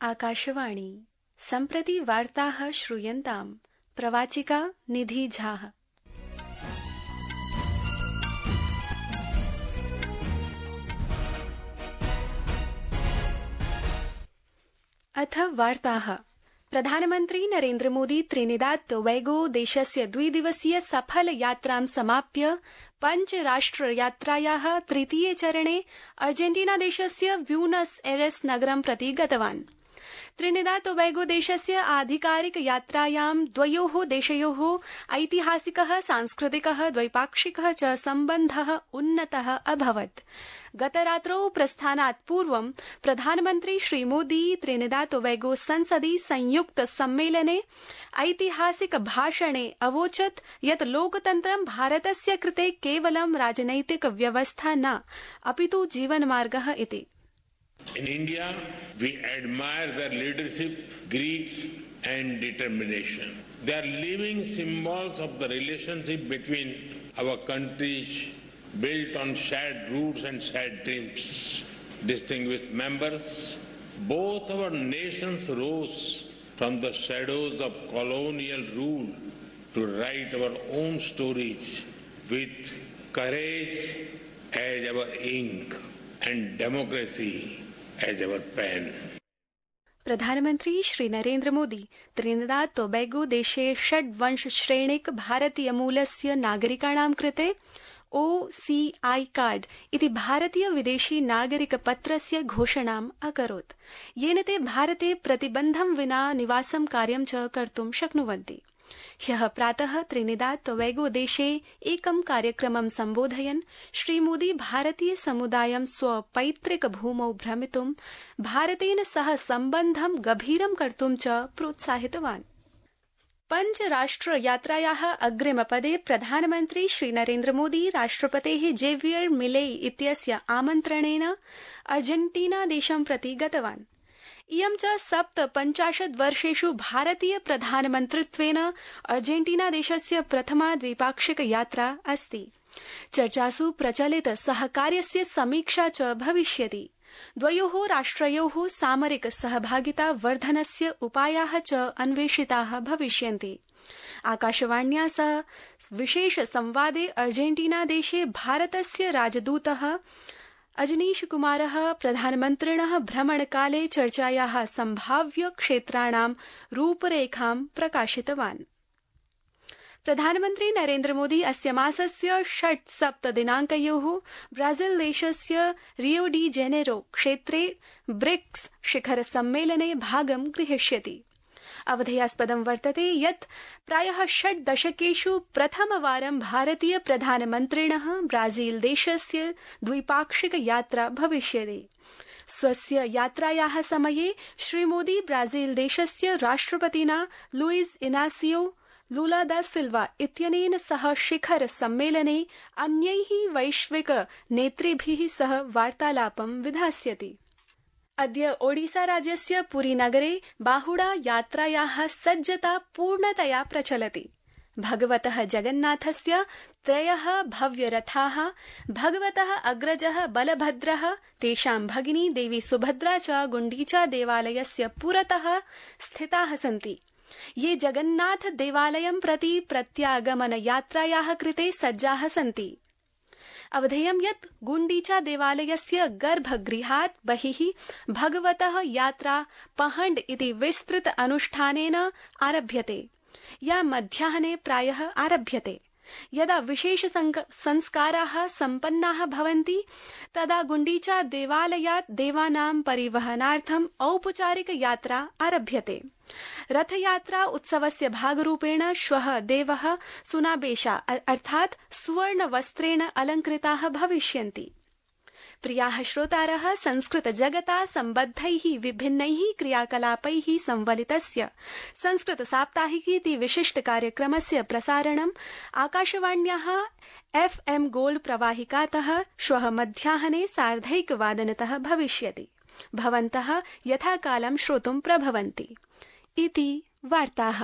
आकाशवाणी सम्प्रति वार्ताः श्रूयन्ताम्। प्रवाचिका निधि झा। अथ वार्ताः। प्रधानमन्त्री नरेन्द्र मोदी त्रिनिदाद टोबैगो देशस्य द्विदिवसीय सफल यात्रां समाप्य पञ्चराष्ट्रयात्रायाः तृतीये चरणे अर्जेन्टीना देशस्य ब्यूनस एयर्स नगरं प्रति गतवान्। त्रिनिदाद टोबैगो देशस्य आधिकारिक यात्रायां द्वयोः देशयोः ऐतिहासिकः, सांस्कृतिकः, द्वैपाक्षिकः च सम्बन्धः उन्नतः अभवत्। गतरात्रौ प्रस्थानात् पूर्वं प्रधानमन्त्री श्रीमोदी त्रिनिदाद टोबैगो संसदि संयुक्त सम्मेलने ऐतिहासिक भाषणे अवोचत् यत् लोकतन्त्रं भारतस्य कृते केवलं राजनैतिक व्यवस्था न, अपितु जीवनमार्गः इति। In India, we admire their leadership, greed and determination. They are living symbols of the relationship between our countries built on shared roots and shared dreams. Distinguished members, both our nations rose from the shadows of colonial rule to write our own stories with courage as our ink and democracy as our pen. प्रधानमन्त्री Shri Narendra Modi Trinidad Tobago देशे षड्वंश श्रेणिक भारतीय मूलस्य नागरिकाणां कृते OCI card इति भारतीय विदेशी नागरिक पत्रस्य घोषणाम् अकरोत्, येन ते भारते प्रतिबन्धं विना निवासं कार्यं च कर्तुं शक्नुवन्ति। ह्यः प्रातः त्रिनिदाद टोबैगो देशे एकं कार्यक्रमं सम्बोधयन् श्रीमोदी भारतीय समुदायं स्वपैतृक भूमौ भ्रमितुं, भारतेन सह सम्बन्धं गभीरं कर्तुं च प्रोत्साहितवान्। पञ्चराष्ट्रयात्रायाः अग्रिमपदे प्रधानमन्त्री श्रीनरेन्द्र मोदी राष्ट्रपतेः जेवियर मिलेई इत्यस्य आमन्त्रणेन अर्जेन्टीना देशं प्रति गतवान्। इयं च 57 वर्षेषु भारतीय प्रधानमन्त्रित्वेन अर्जेन्टीना देशस्य प्रथमा द्विपाक्षिक यात्रा अस्ति। चर्चासु प्रचलित सहकार्यस्य समीक्षा च भविष्यति। द्वयोः राष्ट्रयोः सामरिक सहभागिता वर्धनस्य उपायाः च अन्वेषिताः भविष्यन्ति। आकाशवाण्या सह विशेष संवादे अर्जेन्टीना देशे भारतस्य राजदूतः अजनीश कुमारः प्रधानमन्त्रिणः भ्रमणकाले चर्चायाः सम्भाव्य क्षेत्राणां रूपरेखां प्रकाशितवान्। प्रधानमन्त्री नरेन्द्र मोदी अस्य मासस्य 6-7 दिनाङ्कयोः ब्राजील देशस्य रियो डी जेनेरो क्षेत्रे ब्रिक्स शिखर सम्मेलने भागं ग्रहीष्यति। अवधेयास्पदं वर्तते यत् प्रायः 6 दशकेषु प्रथमवारं भारतीय प्रधानमन्त्रिणः ब्राजील देशस्य द्विपाक्षिक यात्रा भविष्यति। स्वस्य यात्रायाः समये श्रीमोदी ब्राजील देशस्य राष्ट्रपतिना लुइस इनासियो लुला दा सिल्वा इत्यनेन सह शिखर सम्मेलने अन्यैः वैश्विक नेतृभिः सह वार्तालापं विधास्यति। अद्य ओडिसा राज्यस्य पुरी नगरे बाहुडा यात्रायाः सज्जता पूर्णतया प्रचलति। भगवतः जगन्नाथस्य 3 भव्यरथाः, भगवतः अग्रजः बलभद्रः, तेषां भगिनी देवी सुभद्रा च गुण्डीचा देवालयस्य पुरतः स्थिताः सन्ति, ये जगन्नाथ देवालयं प्रति प्रत्यागमन यात्रायाः कृते सज्जाः सन्ति। अवधेयं यत् गुण्डीचा देवालयस्य गर्भगृहात् बहिः भगवतः यात्रा पहण्ड इति विस्तृत अनुष्ठानेन आरभ्यते, या मध्याह्ने प्रायः आरभ्यते। यदा विशेष संस्काराः सम्पन्नाः भवन्ति तदा गुण्डीचा देवालयात् देवानां परिवहनार्थम् औपचारिक यात्रा आरभ्यते। रथयात्रा उत्सवस्य भागरूपेण श्वः देवः सुनाबेशा अर्थात् सुवर्णवस्त्रेण अलङ्कृताः भविष्यन्ति। प्रियाः श्रोतारः, संस्कृत जगता सम्बद्धैः विभिन्नैः क्रियाकलापैः संवलितस्य संस्कृत साप्ताहिकी इति विशिष्ट कार्यक्रमस्य प्रसारणम् आकाशवाण्याः FM गोल्ड प्रवाहिकातः श्वः मध्याह्ने 1:30 भविष्यति। भवन्तः यथाकालं श्रोतुं प्रभवन्ति। इति वार्ताः।